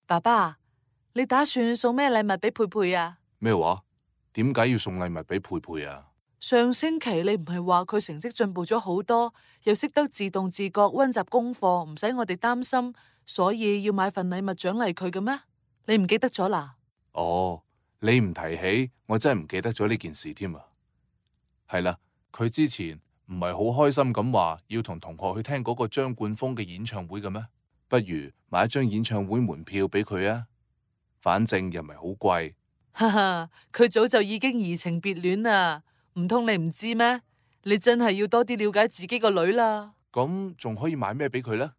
爸爸，你打算送咩禮物俾佩佩啊？咩話？點解要送禮物俾佩佩啊？上星期你唔係話佢成績進步咗好多，又識得自動自覺溫習功課，唔使我哋擔心，所以要買份禮物獎勵佢嘅咩？你唔記得咗啦？哦，你唔提起，我真係唔記得咗呢件事添啊。係啦，佢之前唔係好開心咁話要同同學去聽嗰個張冠峰嘅演唱會嘅咩？不如買一張演唱會門票俾佢啊，反正又唔係好貴。哈哈，佢早就已經移情別戀啦，唔通你唔知咩？你真係要多啲了解自己個女啦。咁仲可以買咩俾佢呢？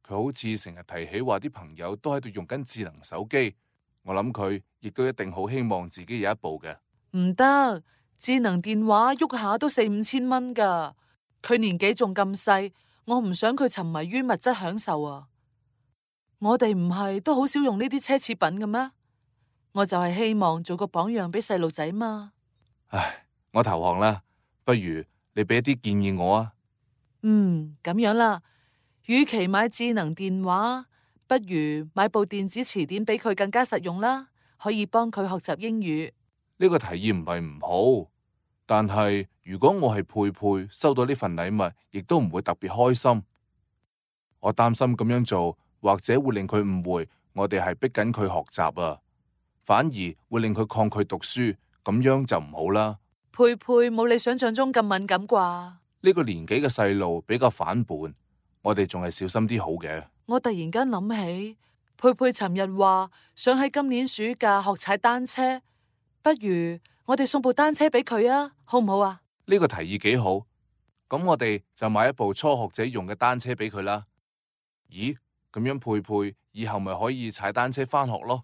佢好似成日提起話啲朋友都喺度用緊智能手機，我諗佢亦都一定好希望自己有一部嘅。唔得，智能電話喐下都4、5千蚊噶，佢年紀仲咁細，我唔想佢沉迷於物質享受啊。我哋唔係都好少用呢啲奢侈品嘅咩？我就係希望做個榜樣俾細路仔嘛。唉，我投降啦，不如你俾一啲建議我啊。咁樣啦，與其買智能電話，不如買部電子詞典俾佢更加實用啦，可以幫佢學習英語。呢個提議唔係唔好，但係如果我係佩佩，收到呢份禮物，亦都唔會特別開心。我擔心咁樣做，或者會令佢誤會我哋係逼緊佢學習啊，反而會令佢抗拒讀書，咁樣就唔好啦。佩佩冇你想象中咁敏感啩？呢個年紀嘅細路比較反叛，我哋仲係小心啲好嘅。我突然間諗起，佩佩尋日話想喺今年暑假學踩單車，不如我哋送部單車俾佢啊，好唔好啊？呢個提議幾好，咁我哋就買一部初學者用嘅單車俾佢啦。咦，咁樣佩佩以後咪可以踩單車返學咯？